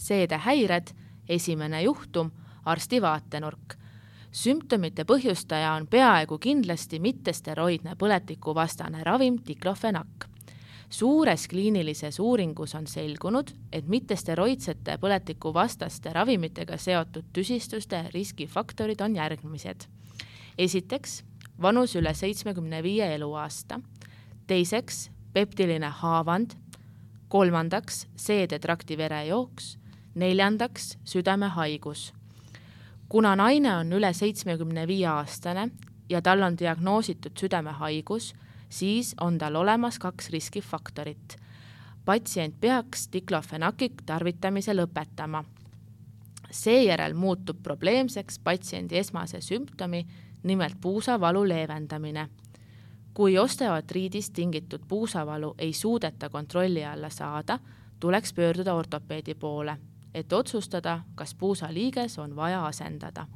seedehäired, esimene juhtum, arsti vaatenurk. Sümptomite põhjustaja on peaaegu kindlasti mittesteroidne põletikuvastane ravim diklofenak. Suures kliinilises uuringus on selgunud, et mittesteroidsete põletikuvastaste ravimitega seotud tüsistuste riskifaktorid on järgmised. Esiteks, vanus üle 75 eluaasta. Teiseks, peptiline haavand. Kolmandaks, seedetrakti verejooks. Neljandaks, südamehaigus. Kuna naine on üle 75 aastane ja tal on diagnoositud südamehaigus, siis on tal olemas 2 riskifaktorit. Patsient peaks diklofenaki tarvitamise lõpetama. Seejärel muutub probleemseks patsiendi esmase sümptomi, nimelt puusavalu leevendamine. Kui osteoartriidist tingitud puusavalu ei suudeta kontrolli alla saada, tuleks pöörduda ortopeedi poole, et otsustada, kas puusaliiges on vaja asendada.